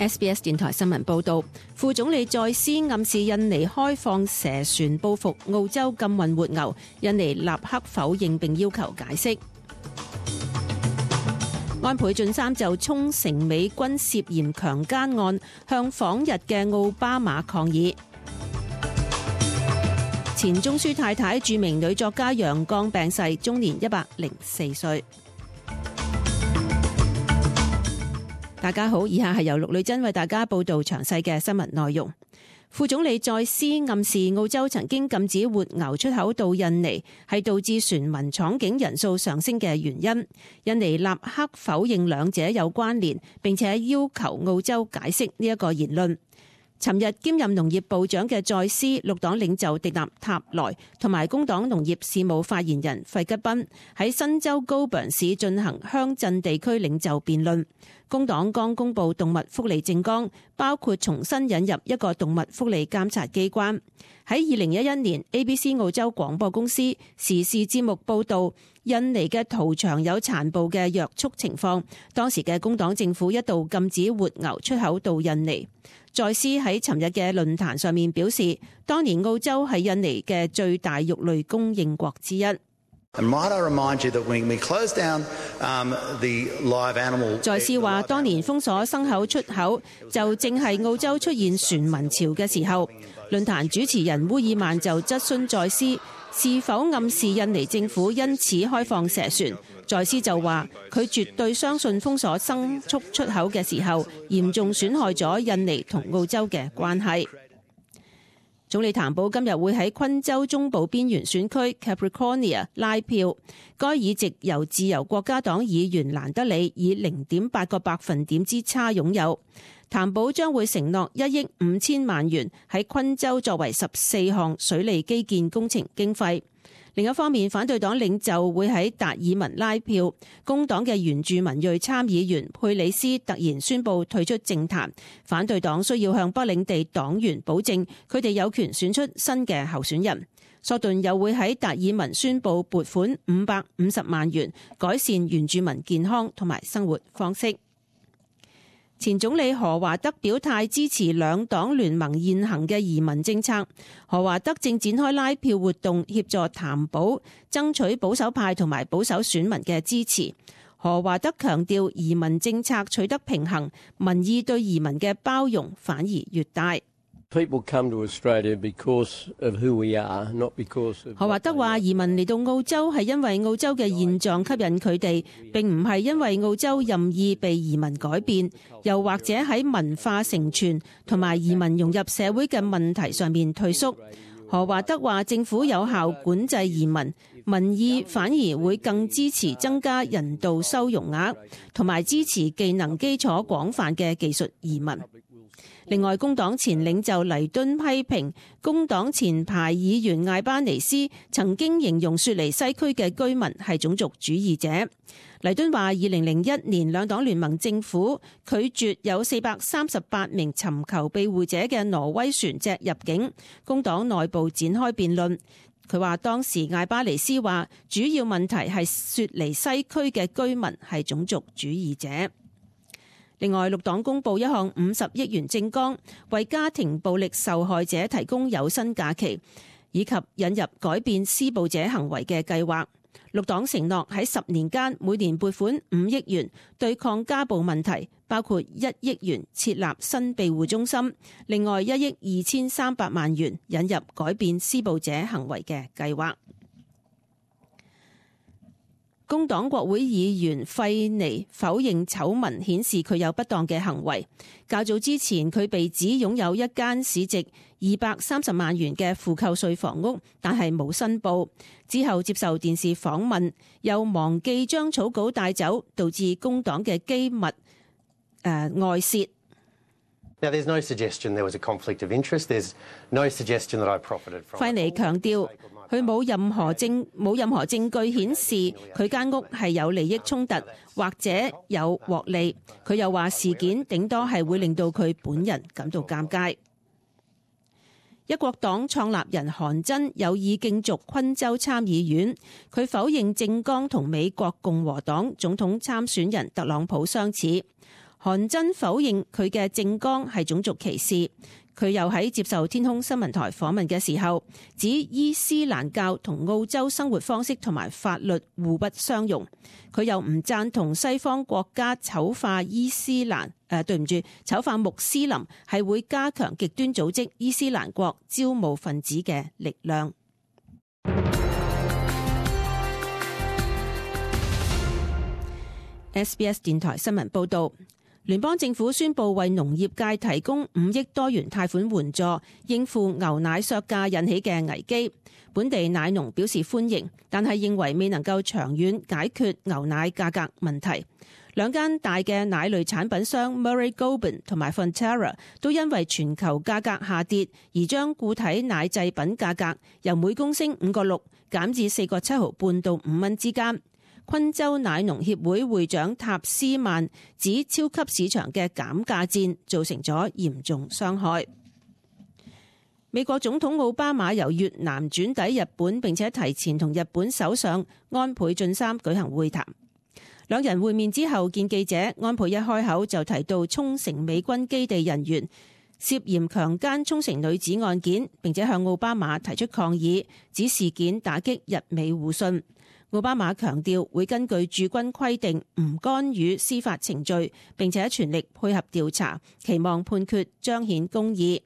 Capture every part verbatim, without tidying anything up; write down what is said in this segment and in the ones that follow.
S B S 電台新聞報道，副總理再斯暗示印尼開放蛇船報復澳洲禁運活牛，印尼立刻否認並要求解釋。安倍晉三就沖繩美軍涉嫌強姦案向訪日嘅奧巴馬抗議。前中樞太太著名女作家楊絳病逝，終年一百零四歲。大家好，以下係由陸女珍為大家報道詳細嘅新聞內容。副總理再斯暗示澳洲曾經禁止活牛出口到印尼，係導致船民闖境人數上升嘅原因。印尼立刻否認兩者有關聯，並且要求澳洲解釋呢一個言論。尋日兼任農業部長嘅再斯、綠黨領袖迪納塔萊同埋工黨農業事務發言人費吉賓喺新州高陽市進行鄉鎮地區領袖辯論。工黨剛公布動物福利政綱，包括重新引入一個動物福利監察機關。喺二零一一年 A B C 澳洲廣播公司時事節目報道印尼嘅屠場有殘暴嘅虐畜情況，當時嘅工黨政府一度禁止活牛出口到印尼。再斯喺尋日嘅論壇上面表示，當年澳洲係印尼嘅最大肉類供應國之一。再斯話，當年封鎖牲口出口，就正係澳洲出現船民潮嘅時候。論壇主持人烏爾曼就質詢再斯是否暗示印尼政府因此開放蛇船。再斯就話佢絕對相信封鎖牲畜出口嘅時候，嚴重損害咗印尼同澳洲嘅關係。總理譚寶今日會喺昆州中部邊緣選區 Capricornia 拉票，該議席由自由國家黨議員蘭德里以零點八個百分點之差擁有。譚寶將會承諾一億五千萬元喺昆州作為十四項水利基建工程經費。另一方面，反對黨領袖會喺達爾文拉票，工黨嘅原住民裔參議員佩里斯突然宣布退出政壇，反對黨需要向北領地黨員保證佢哋有權選出新嘅候選人。索頓又會喺達爾文宣布撥款五百五十萬元，改善原住民健康同埋生活方式。前總理何華德表態支持兩黨聯盟現行嘅移民政策。何華德正展開拉票活動，協助譚寶爭取保守派同埋保守選民嘅支持。何華德強調，移民政策取得平衡，民意對移民嘅包容反而越大。何華德話，移民嚟到澳洲係因為澳洲嘅現狀吸引佢哋，並唔係因為澳洲任意被移民改變，又或者喺文化承傳同埋移民融入社會嘅問題上面退縮。何華德話，政府有效管制移民，民意反而會更支持增加人道收容額，同埋支持技能基礎廣泛嘅技術移民。另外，工黨前領袖黎敦批評工黨前排議員艾巴尼斯曾經形容雪梨西區嘅居民係種族主義者。黎敦話，二零零一年兩黨聯盟政府拒絕有四百三十八名尋求庇護者嘅挪威船隻入境，工黨內部展開辯論。佢話當時艾巴尼斯話，主要問題係雪梨西區嘅居民係種族主義者。另外，綠黨公布一項五十億元政綱，為家庭暴力受害者提供有薪假期，以及引入改變施暴者行為嘅計劃。綠黨承諾喺十年間每年撥款五億元對抗家暴問題，包括一億元設立新庇護中心，另外一億二千三百萬元引入改變施暴者行為嘅計劃。工黨國會議員費尼否認醜聞顯示佢有不當嘅行為。較早之前，佢被指擁有一間市值二百三十萬元嘅負扣稅房屋，但係冇申報。之後接受電視訪問，又忘記將草稿帶走，導致工黨嘅機密、呃、外泄。Now, there's no suggestion there was a conflict of interest. There's no suggestion that I profited from. 費尼強調，佢冇任何證冇任何證據顯示佢間屋係有利益衝突或者有獲利。佢又話事件頂多係會令到佢本人感到尷尬。一國黨創立人韓真有意競逐昆州參議院，佢否認政綱同美國共和黨總統參選人特朗普相似。韓真否認佢嘅政綱係種族歧視。佢又喺接受天空新聞台訪問嘅時候，指伊斯蘭教同澳洲生活方式同埋法律互不相容。佢又唔贊同西方國家醜化伊斯蘭，誒、呃、對唔住，醜化穆斯林係會加強極端組織伊斯蘭國招募分子嘅力量。S B S 電台新聞報導。聯邦政府宣布為農業界提供五億多元貸款援助，應付牛奶削價引起嘅危機。本地奶農表示歡迎，但係認為未能夠長遠解決牛奶價格問題。兩間大嘅奶類產品商 Murray Goulburn 同埋 Fonterra 都因為全球價格下跌，而將固體奶製品價格由每公升五個六減至四個七毫半到五蚊之間。昆州奶農協會會長塔斯曼指，超級市場嘅減價戰造成咗嚴重傷害。美國總統奧巴馬由越南轉抵日本，並且提前同日本首相安倍晉三舉行會談。兩人會面之後見記者，安倍一開口就提到沖繩美軍基地人員涉嫌強姦沖繩女子案件，並且向奧巴馬提出抗議，指事件打擊日美互信。奧巴馬強調會根據駐軍規定唔干預司法程序，並且全力配合調查，期望判決彰顯公義。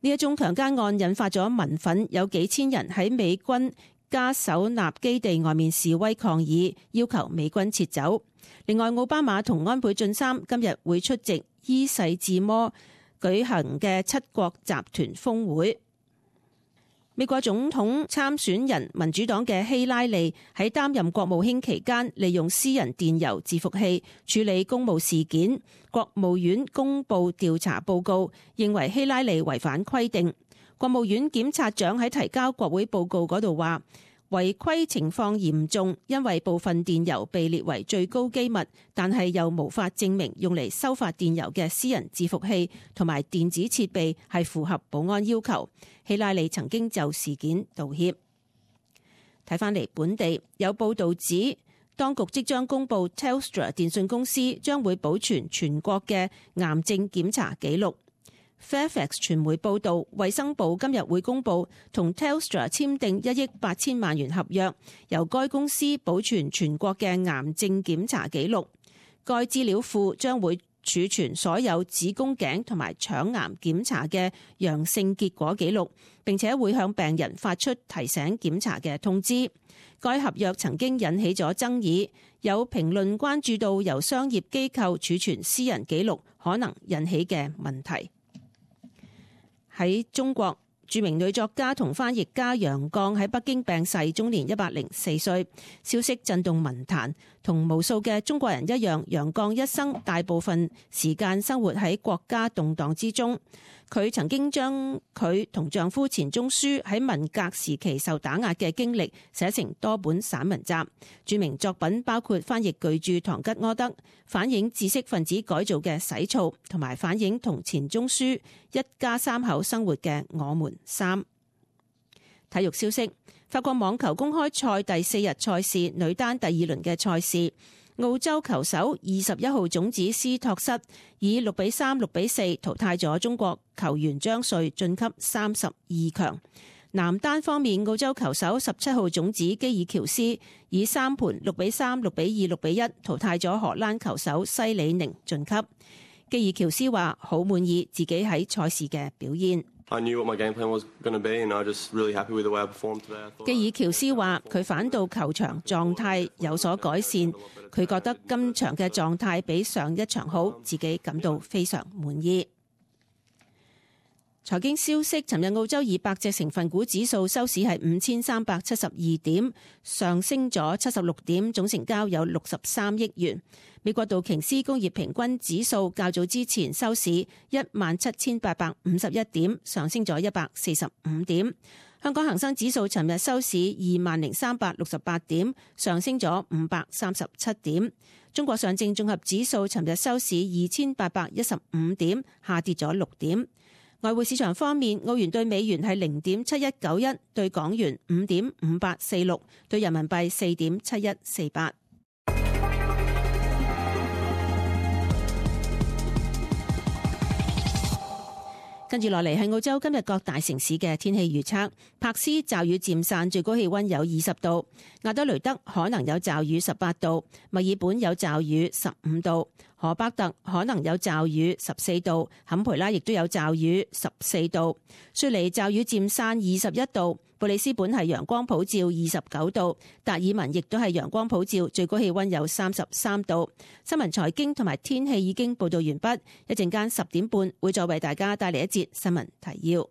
呢一宗強姦案引發咗民憤，有幾千人喺美軍加手納基地外面示威抗議，要求美軍撤走。另外，奧巴馬同安倍晉三今日會出席伊勢志摩舉行嘅七國集團峰會。美國總統參選人民主黨嘅希拉里喺擔任國務卿期間，利用私人電郵伺服器處理公務事件。國務院公布調查報告，認為希拉里違反規定。國務院檢察長喺提交國會報告嗰度話，違規情況嚴重，因為部分電郵被列為最高機密，但係又無法證明用嚟收發電郵嘅私人伺服器同埋電子設備係符合保安要求。希拉里曾經就事件道歉。睇返嚟本地有報道指，當局即將公布 Telstra 電信公司將會保存全國嘅癌症檢查記錄。Fairfax 傳媒報道，衛生部今日會公布同 Telstra 簽訂一億八千萬元合約，由該公司保存全國嘅癌症檢查記錄。該資料庫將會儲存所有子宮頸同埋腸癌檢查嘅陽性結果記錄，並且會向病人發出提醒檢查嘅通知。該合約曾經引起咗爭議，有評論關注到由商業機構儲存私人記錄可能引起嘅問題。喺中國，著名女作家同翻譯家楊絳喺北京病逝，終年一百零四歲。消息震動文壇，同無數嘅中國人一樣，楊絳一生大部分時間生活喺國家動盪之中。佢曾經將佢同丈夫錢鍾書喺文革時期受打壓嘅經歷寫成多本散文集，著名作品包括翻譯巨著《堂吉訶德》，反映知識分子改造嘅洗澡，同埋反映同錢鍾書一家三口生活嘅《我們三》。體育消息：法國網球公開賽第四日賽事女單第二輪嘅賽事，澳洲球手二十一號種子斯托瑟以六比三、六比四淘汰咗中國球員張瑞，晉級三十二強。男單方面，澳洲球手十七號種子基爾喬斯以三盤六比三、六比二、六比一淘汰咗荷蘭球手西里寧，晉級。基爾喬斯話好滿意自己喺賽事嘅表現。I knew what my game plan was going to be, and I just really happy with the way I performed today. 基爾喬斯話佢返到球場狀態有所改善，佢覺得今場嘅狀態比上一場好，自己感到非常滿意。財經消息：尋日澳洲二百隻成分股指數收市係五千三百七十二點，上升咗七十六點，總成交有六十三億元。美國道瓊斯工業平均指數較早之前收市一萬七千八百五十一點，上升咗一百四十五點。香港恒生指數尋日收市二萬零三百六十八點，上升咗五百三十七點。中國上證綜合指數尋日收市二千八百一十五點，下跌咗六點。外匯市場方面，澳元對美元係零點七一九一，對港元五點五八四六，對人民幣四點七一四八。跟住落嚟係澳洲今日各大城市嘅天氣預測。柏斯驟雨漸散，最高氣溫有二十度；亞德雷德可能有驟雨十八度；墨爾本有驟雨十五度；荷伯特可能有驟雨十四度；坎培拉亦都有驟雨十四度；雪梨驟雨漸散二十一度；布里斯本係陽光普照二十九度；達爾文亦都係陽光普照，最高氣溫有三十三度。新聞財經同埋天氣已經報道完畢，一陣間十點半會再為大家帶嚟一節新聞提要。